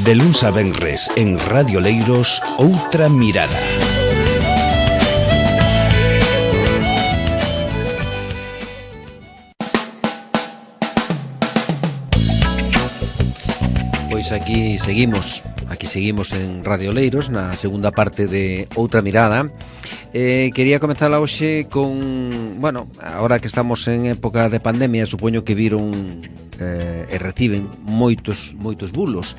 De luns a venres en Radio Leiros, Outra Mirada. Pois aquí seguimos en Radio Leiros na segunda parte de Outra Mirada. Quería comenzar hoxe con, bueno, agora que estamos en época de pandemia, supoño que viron e reciben moitos bulos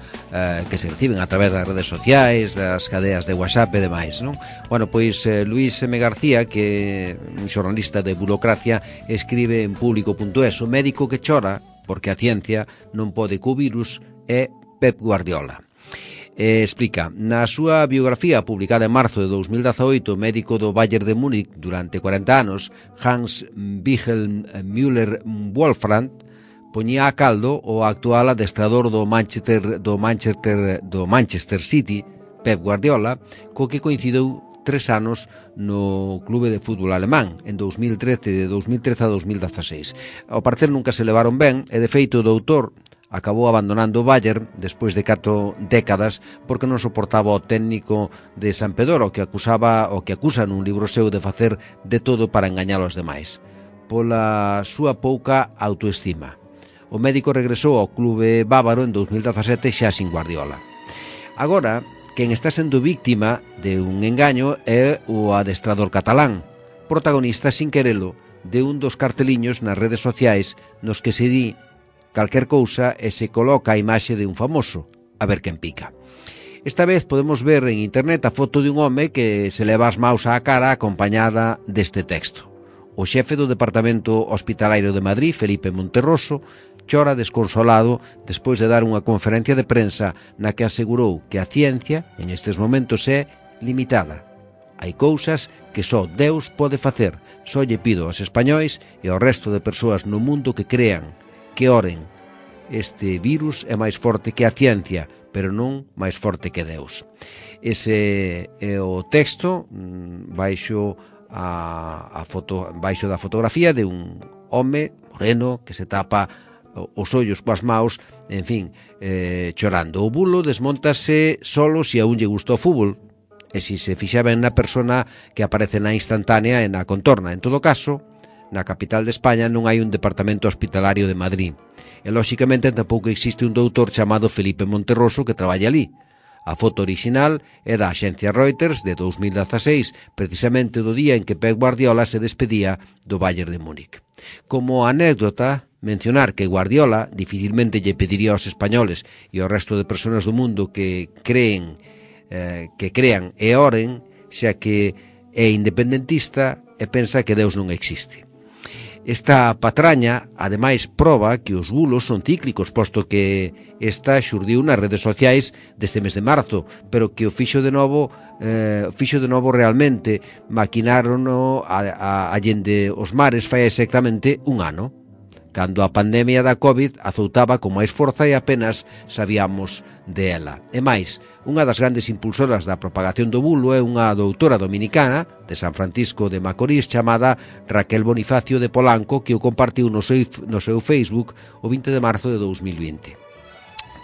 que se reciben a través das redes sociais, das cadeas de WhatsApp e demais, non? Bueno, pois Luis M. García, que é un xornalista de Burocracia, escribe en público.es: o médico que chora porque a ciencia non pode co virus é Pep Guardiola. Explica, na súa biografía publicada en marzo de 2018, o médico do Bayern de Múnich durante 40 anos, Hans Wilhelm Müller Wolfram, poñía a caldo o actual adestrador do Manchester City, Pep Guardiola, co que coincidou 3 anos no clube de fútbol alemán, en 2013 a 2016. Ao parecer nunca se levaron ben, e de feito o doutor acabou abandonando o Bayern despois de 4 décadas porque non soportaba o técnico de Sampdoria, o que acusa nun libro seu de facer de todo para engañar aos demais, pola súa pouca autoestima. O médico regresou ao clube bávaro en 2017 xa sin Guardiola. Agora, quen está sendo víctima de un engaño é o adestrador catalán, protagonista sin querelo de un dos carteliños nas redes sociais nos que se di calquer cousa e se coloca a imaxe de un famoso, a ver quen pica. Esta vez podemos ver en internet a foto de un home que se leva as maus á cara acompañada deste texto. O xefe do Departamento Hospitalario de Madrid, Felipe Monterroso, chora desconsolado despois de dar unha conferencia de prensa na que asegurou que a ciencia, en estes momentos, é limitada. Hai cousas que só Deus pode facer. Só lle pido aos españois e ao resto de persoas no mundo que crean, que oren. Este virus é máis forte que a ciencia, pero non máis forte que Deus. Ese é o texto baixo da fotografía de un home moreno que se tapa os ollos coas maus, en fin, chorando. O bulo desmontase solo se a un lle gusta o fútbol e se se fixa ben na persona que aparece na instantánea e na contorna. En todo caso, na capital de España non hai un departamento hospitalario de Madrid. E, lóxicamente, tampouco existe un doutor chamado Felipe Monterroso que traballa ali. A foto original é da axencia Reuters de 2016, precisamente do día en que Pep Guardiola se despedía do Bayern de Múnich. Como anécdota, mencionar que Guardiola dificilmente lle pediría aos españoles e ao resto de persoas do mundo que crean e oren, xa que é independentista e pensa que Deus non existe. Esta patraña, ademais, proba que os bulos son cíclicos, posto que esta xurdiu nas redes sociais deste mes de marzo, pero que o fixo de novo realmente, maquinárono allende os mares fai exactamente un ano, cando a pandemia da COVID azoutaba con máis forza e apenas sabíamos de ela. E máis, unha das grandes impulsoras da propagación do bulo é unha doutora dominicana de San Francisco de Macorís chamada Raquel Bonifacio de Polanco, que o compartiu no seu Facebook o 20 de marzo de 2020.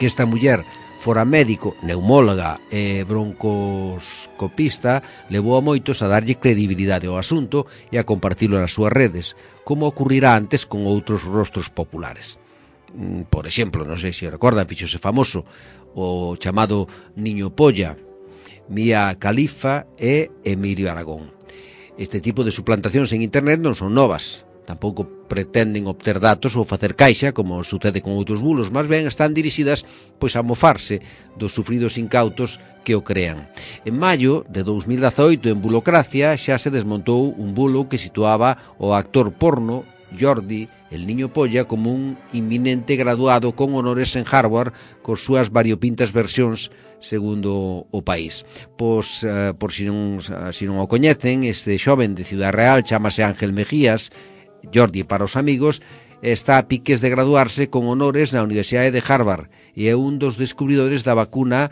Que esta muller fora médico, neumóloga e broncoscopista levou a moitos a darlle credibilidade ao asunto e a compartilo nas súas redes, como ocurrirá antes con outros rostros populares. Por exemplo, non sei se recordan, fixose famoso o chamado Niño Polla, Mia Khalifa e Emilio Aragón. Este tipo de suplantacións en internet non son novas, tampouco pretenden obter datos ou facer caixa, como sucede con outros bulos, máis ben están dirixidas pois a mofarse dos sufridos incautos que o crean. En maio de 2018, en Burocracia, xa se desmontou un bulo que situaba o actor porno Jordi, el Niño Polla, como un inminente graduado con honores en Harvard, con súas variopintas versións segundo o país. Pois, por si non o coñecen, este xoven de Ciudad Real chamase Ángel Mejías. Jordi, para os amigos, está a piques de graduarse con honores na Universidade de Harvard e é un dos descubridores da vacuna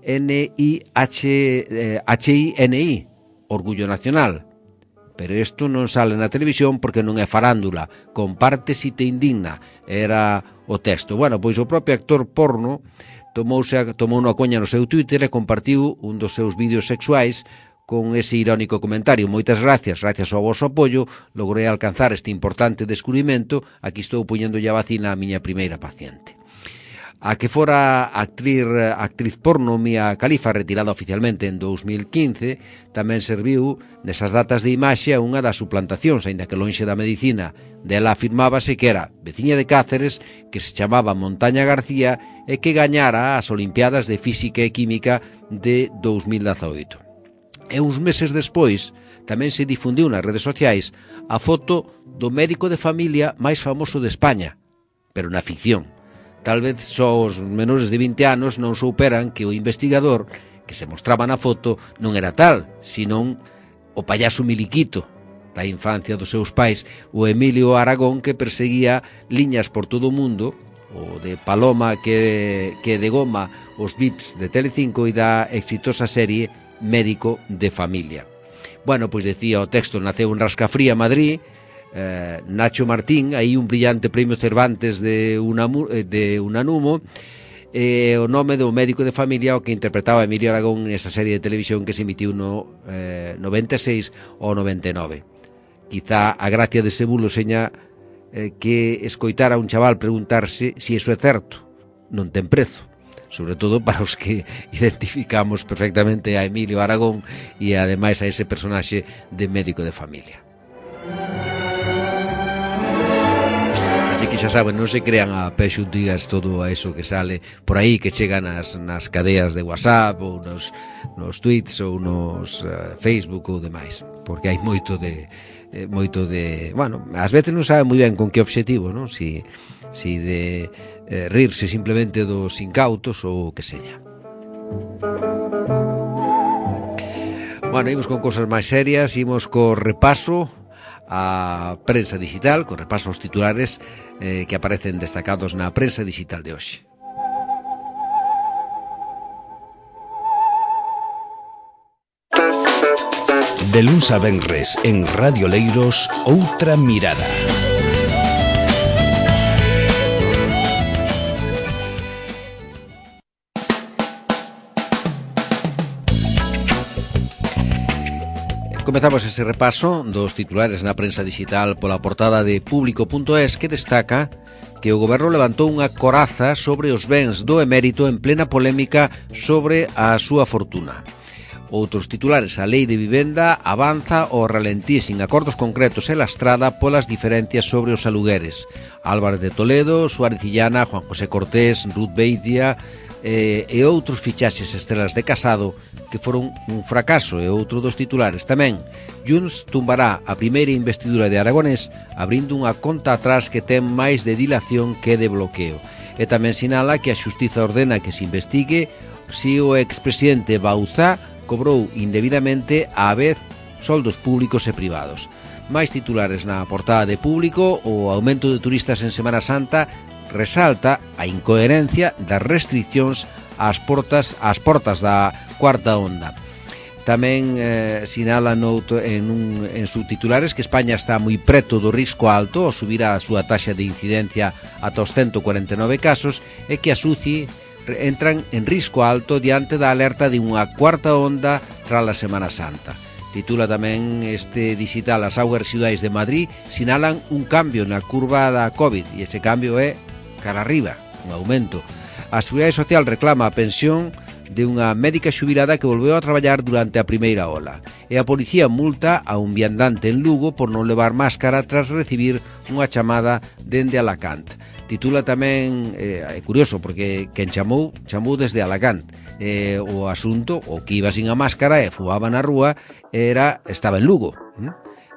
HINI, Orgullo Nacional. Pero isto non sale na televisión porque non é farándula. Comparte si te indigna, era o texto. Bueno, pois o propio actor porno tomou unha coña no seu Twitter e compartiu un dos seus vídeos sexuais con ese irónico comentario: moitas gracias ao vosso apoio, logrei alcanzar este importante descubrimento, aquí estou poñéndolle a vacina á miña primeira paciente. A que fora actriz porno Mia Khalifa, retirada oficialmente en 2015, tamén serviu nesas datas de imaxe a unha das suplantacións, aínda que lonxe da medicina. Dela afirmábase que era veciña de Cáceres, que se chamaba Montaña García e que gañara as Olimpiadas de Física e Química de 2018. E uns meses despois tamén se difundiu nas redes sociais a foto do médico de familia máis famoso de España, pero na ficción. Tal vez só os menores de 20 anos non souperan que o investigador que se mostraba na foto non era tal, senón o payaso miliquito da infancia dos seus pais, o Emilio Aragón, que perseguía liñas por todo o mundo, o de Paloma que de goma os VIPs de Telecinco e da exitosa serie Médico de Familia. Bueno, pois decía o texto, naceu en Rascafría, Madrid, Nacho Martín, aí un brillante premio Cervantes de Unanumo, o nome do médico de familia o que interpretaba Emilio Aragón nesa serie de televisión que se emitiu no 96 ou 99. Quizá a gracia dese bulo seña que escoitar a un chaval preguntarse se iso é certo non ten prezo, sobre todo para os que identificamos perfectamente a Emilio Aragón e ademais a ese personaxe de médico de familia. Así que xa saben, non se crean a pé xuntigas todo a eso que sale por aí, que chega nas cadeas de WhatsApp ou nos tweets ou nos Facebook ou demais, porque hai moito de bueno, ás veces non sabe moi ben con que obxectivo, non? Si de rirse simplemente dos incautos ou que seña. Bueno, imos con cosas máis serias, imos co repaso a prensa digital, co repaso aos titulares que aparecen destacados na prensa digital de hoxe. De luns a venres en Radio Leiros, Outra Mirada. Comezamos ese repaso dos titulares na prensa digital pola portada de Público.es, que destaca que o goberno levantou unha coraza sobre os bens do emérito en plena polémica sobre a súa fortuna. Outros titulares: a lei de vivenda avanza ao ralentí sin acordos concretos e lastrada polas diferencias sobre os alugueres. Álvarez de Toledo, Suárez Illana, Juan José Cortés, Ruth Beitia e outros fichaxes estrelas de Casado que foron un fracaso. E outro dos titulares tamén: Junts tumbará a primeira investidura de Aragonés abrindo unha conta atrás que ten máis de dilación que de bloqueo. E tamén sinala que a Xustiza ordena que se investigue se o expresidente Bauzá cobrou indebidamente á vez soldos públicos e privados. Máis titulares na portada de Público: o aumento de turistas en Semana Santa resalta a incoherencia das restriccións ás portas da cuarta onda. Tamén sinala en subtitulares que España está moi preto do risco alto ao subir a súa taxa de incidencia ata os 149 casos e que as UCI entran en risco alto diante da alerta de unha cuarta onda tras a Semana Santa. Titula tamén este digital: as augas residuais de Madrid sinalan un cambio na curva da COVID e ese cambio é cara arriba, un aumento. A Seguridade Social reclama a pensión de unha médica xubilada que volveu a traballar durante a primeira ola. E a policía multa a un viandante en Lugo por non levar máscara tras recibir unha chamada dende Alacant. Titula tamén, é curioso porque quen chamou desde Alacant. O asunto, o que iba sin a máscara e fumaba na rúa, estaba en Lugo.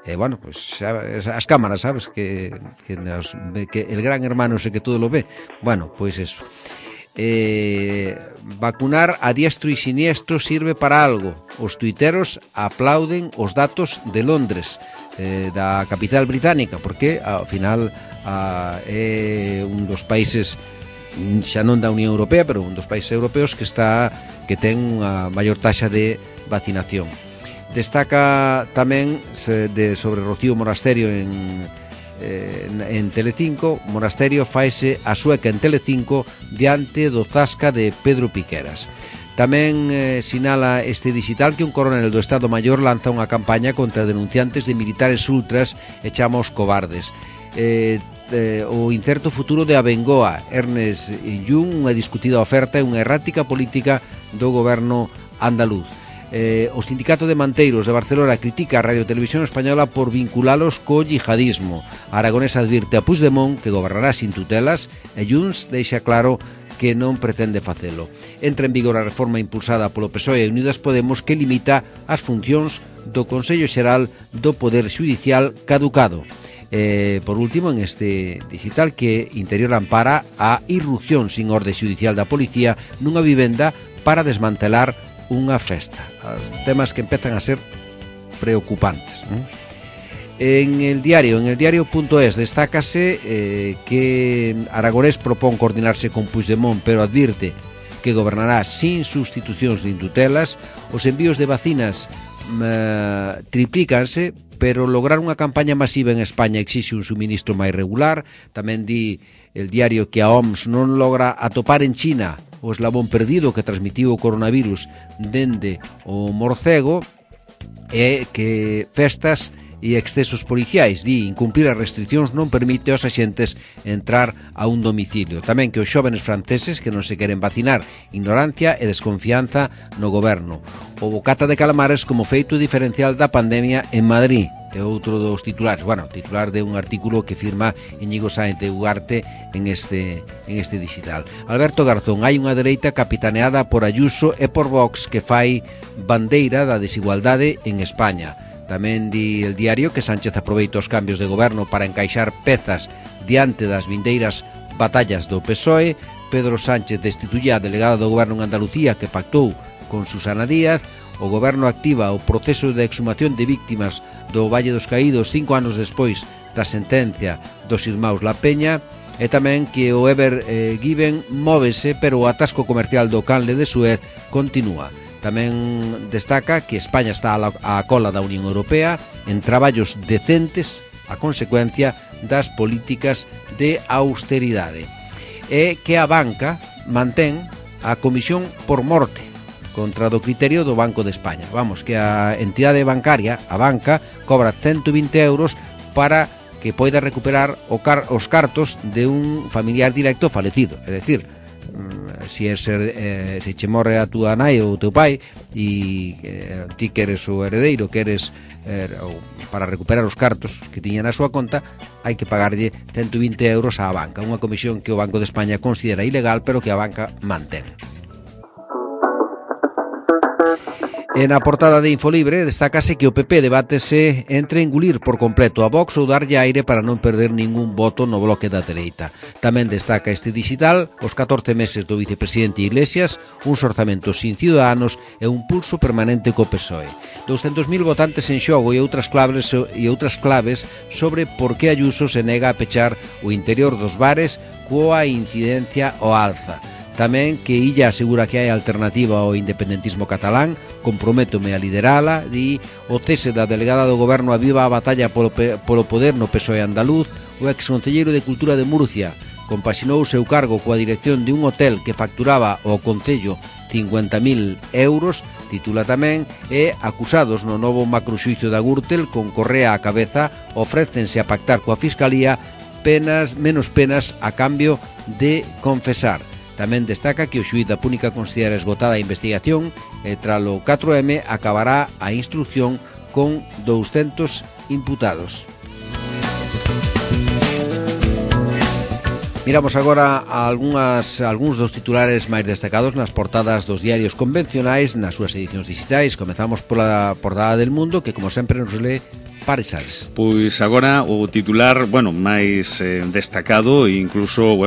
Bueno, pues as cámaras, sabes, que el gran hermano sé que todo lo ve. Bueno, pues eso. Vacunar a diestro e siniestro sirve para algo. Os tuiteros aplauden os datos de Londres, da capital británica, porque ao final é un dos países, xa non da Unión Europea, pero un dos países europeos que ten unha maior taxa de vacinación. Destaca tamén sobre Rocío Monasterio en Telecinco, Monasterio faese a sueca en Telecinco diante do zasca de Pedro Piqueras. Tamén sinala este digital que un coronel do Estado Maior lanza unha campaña contra denunciantes de militares ultras e chama os cobardes. O incerto futuro de Abengoa, Ernest Jung, unha discutida oferta e unha errática política do goberno andaluz. O Sindicato de Manteiros de Barcelona critica a Radio Televisión Española por vinculalos co yihadismo. Aragonés advirte a Puigdemont que gobernará sin tutelas e Junts deixa claro que non pretende facelo. Entra en vigor a reforma impulsada polo PSOE e Unidas Podemos que limita as funcións do Consello Xeral do Poder Xudicial caducado. Por último, en este digital que Interior ampara a irrupción sin orde xudicial da policía nunha vivenda para desmantelar unha festa. Temas que empezan a ser preocupantes, ¿no? En el diario.es destácase que Aragonés propón coordinarse con Puigdemont, pero advirte que gobernará sin sustitucións nin tutelas. Os envíos de vacinas triplícanse, pero lograr unha campaña masiva en España exixe un suministro máis regular. Tamén di el diario que a OMS non logra atopar en China o eslabón perdido que transmitiu o coronavirus dende o morcego, e que festas e excesos policiais, di, incumplir as restriccións non permite aos axentes entrar a un domicilio. Tamén que os xóvenes franceses que non se queren vacinar, ignorancia e desconfianza no goberno. O bocata de calamares como feito diferencial da pandemia en Madrid. É outro dos titulares, titular de un artículo que firma Íñigo Sáenz de Ugarte en este digital. Alberto Garzón, hai unha dereita capitaneada por Ayuso e por Vox que fai bandeira da desigualdade en España. Tamén di el diario que Sánchez aproveita os cambios de goberno para encaixar pezas diante das vindeiras batallas do PSOE. Pedro Sánchez destituye a delegada do goberno en Andalucía que pactou con Susana Díaz. O goberno activa o proceso de exhumación de víctimas do Valle dos Caídos 5 anos despois da sentencia dos irmáns La Peña. E tamén que o Ever Given móvese, pero o atasco comercial do canle de Suez continúa. Tamén destaca que España está á cola da Unión Europea en traballos decentes a consecuencia das políticas de austeridade. E que a banca mantén a comisión por morte contra do criterio do Banco de España. Vamos, que a entidade bancaria, a banca, cobra 120 euros para que poida recuperar os cartos de un familiar directo falecido. É dicir, se che morre a túa nai ou o teu pai e ti que eres o heredeiro, que eres para recuperar os cartos que tiña na súa conta, hai que pagarlle 120 euros á banca, unha comisión que o Banco de España considera ilegal, pero que a banca mantén. En a portada de Infolibre destácase que o PP debátese entre engulir por completo a Vox ou darlle aire para non perder ningún voto no bloque da dereita. Tamén destaca este digital os 14 meses do vicepresidente Iglesias, uns orzamentos sin ciudadanos e un pulso permanente co PSOE. 200.000 votantes en xogo e outras claves sobre por que Ayuso se nega a pechar o interior dos bares coa incidencia ao alza. Tamén que Illa asegura que hai alternativa ao independentismo catalán, comprométome a liderala, di o cese da delegada do goberno aviva a batalla polo poder no PSOE andaluz. O exconcelleiro de Cultura de Murcia compaxinou o seu cargo coa dirección de un hotel que facturaba ao concello 50.000 euros, titula tamén, e acusados no novo macroxuizo da Gürtel con Correa á cabeza ofrécense a pactar coa Fiscalía menos penas a cambio de confesar. Tamén destaca que o xuíz da Púnica considera esgotada a investigación e tralo 4M acabará a instrucción con 200 imputados. Miramos agora algúns dos titulares máis destacados nas portadas dos diarios convencionais nas súas edicións digitais. Comezamos pola portada del Mundo, que como sempre nos lee Pares Ares. Pois agora o titular, máis destacado e incluso,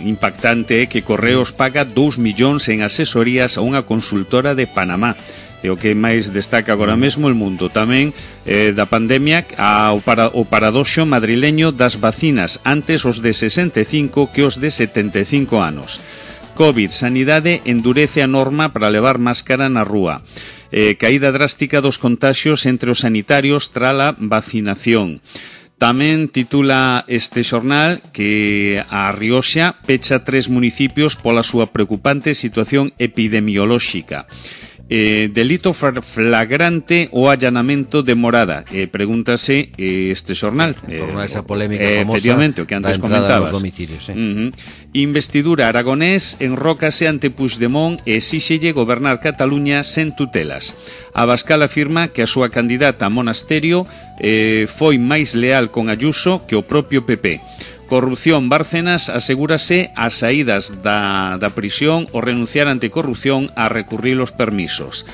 impactante é que Correos paga 2 millóns en asesorías a unha consultora de Panamá. É o que máis destaca agora mesmo El Mundo. Tamén da pandemia o paradoxo madrileño das vacinas, antes os de 65 que os de 75 anos. COVID, sanidade endurece a norma para levar máscara na rúa. Caída drástica dos contaxios entre os sanitarios trala vacinación. Tamén titula este xornal que a Rioxa pecha 3 municipios pola súa preocupante situación epidemiolóxica. Delito flagrante o allanamento de morada, pregúntase este xornal en torno a esa polémica famosa, efectivamente, o que antes comentabas, domicilios, Investidura Aragonés enrócase ante Puigdemont e exíxelle gobernar Cataluña sen tutelas. Abascal afirma que a súa candidata a Monasterio foi máis leal con Ayuso que o propio PP. Corrupción Bárcenas asegúrase as saídas da prisión o renunciar ante corrupción a recurrir os permisos.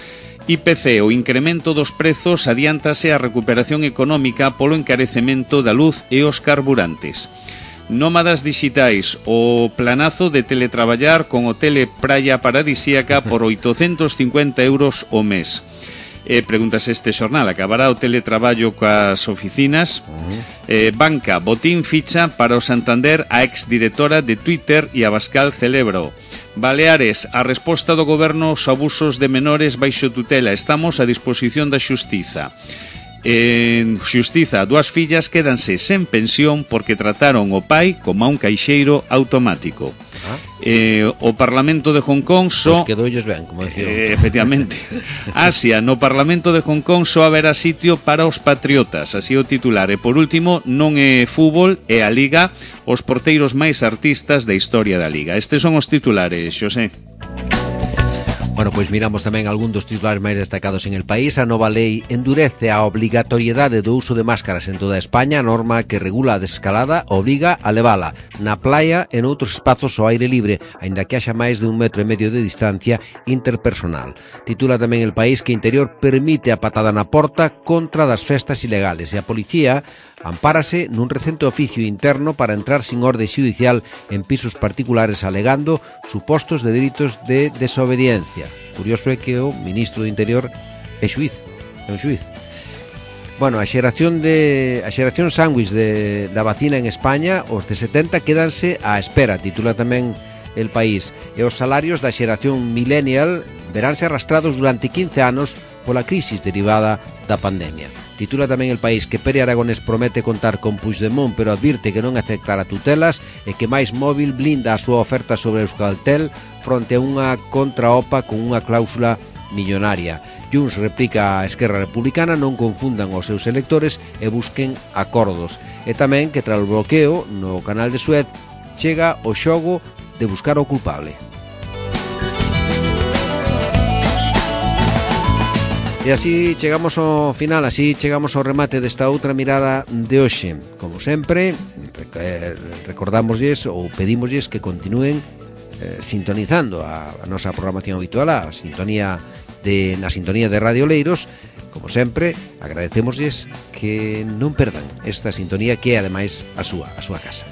IPC, o incremento dos prezos, adiántase a recuperación económica polo encarecemento da luz e os carburantes. Nómadas digitais, o planazo de teletraballar con hotel praia paradisíaca por 850 euros o mes. Pregúntase este xornal, acabará o teletraballo coas oficinas? Banca, botín ficha para o Santander a exdirectora de Twitter e Abascal celebro. Baleares, a resposta do goberno aos abusos de menores baixo tutela. Estamos a disposición da xustiza. En xustiza, 2 fillas quédanse sen pensión porque trataron o pai como a un caixeiro automático. O Parlamento de Hong Kong Pues quedoulles ben, como decía. Efectivamente. Asia, no Parlamento de Hong Kong só haberá sitio para os patriotas, así o titular. E por último, non é fútbol, é a Liga, os porteiros máis artistas da historia da Liga. Estes son os titulares, Xosé. Bueno, pois miramos tamén algún dos titulares máis destacados en el país. A nova lei endurece a obrigatoriedade do uso de máscaras en toda España. A norma que regula a desescalada obriga a levala na playa e noutros espazos ao aire libre, aínda que haxa máis de 1,5 metro de distancia interpersonal. Titula tamén el país que Interior permite a patada na porta contra das festas ilegales e a policía ampárase nun recente oficio interno para entrar sin orde xudicial en pisos particulares alegando supostos de delitos de desobediencia. Curioso é que o ministro do Interior é xuiz, é un xuiz. Bueno, a xeración sándwich da vacina en España, os de 70 quédanse á espera, titula tamén el país. E os salarios da xeración millennial veránse arrastrados durante 15 anos pola crisis derivada da pandemia. Titula tamén el país que Pere Aragonés promete contar con Puigdemont, pero advirte que non aceptará tutelas e que máis móvil blinda a súa oferta sobre Euskaltel fronte a unha contraopa con unha cláusula millonaria. Junts replica a Esquerra Republicana non confundan os seus electores e busquen acordos. E tamén que tras o bloqueo no canal de Suez chega o xogo de buscar o culpable. E así chegamos ao final, así chegamos ao remate desta outra mirada de hoxe. Como sempre, recordámoslles ou pedímoslles que continúen sintonizando a nosa programación habitual, na sintonía de Radio Leiros. Como sempre, agradecémoslles que non perdan esta sintonía que é ademais a súa casa.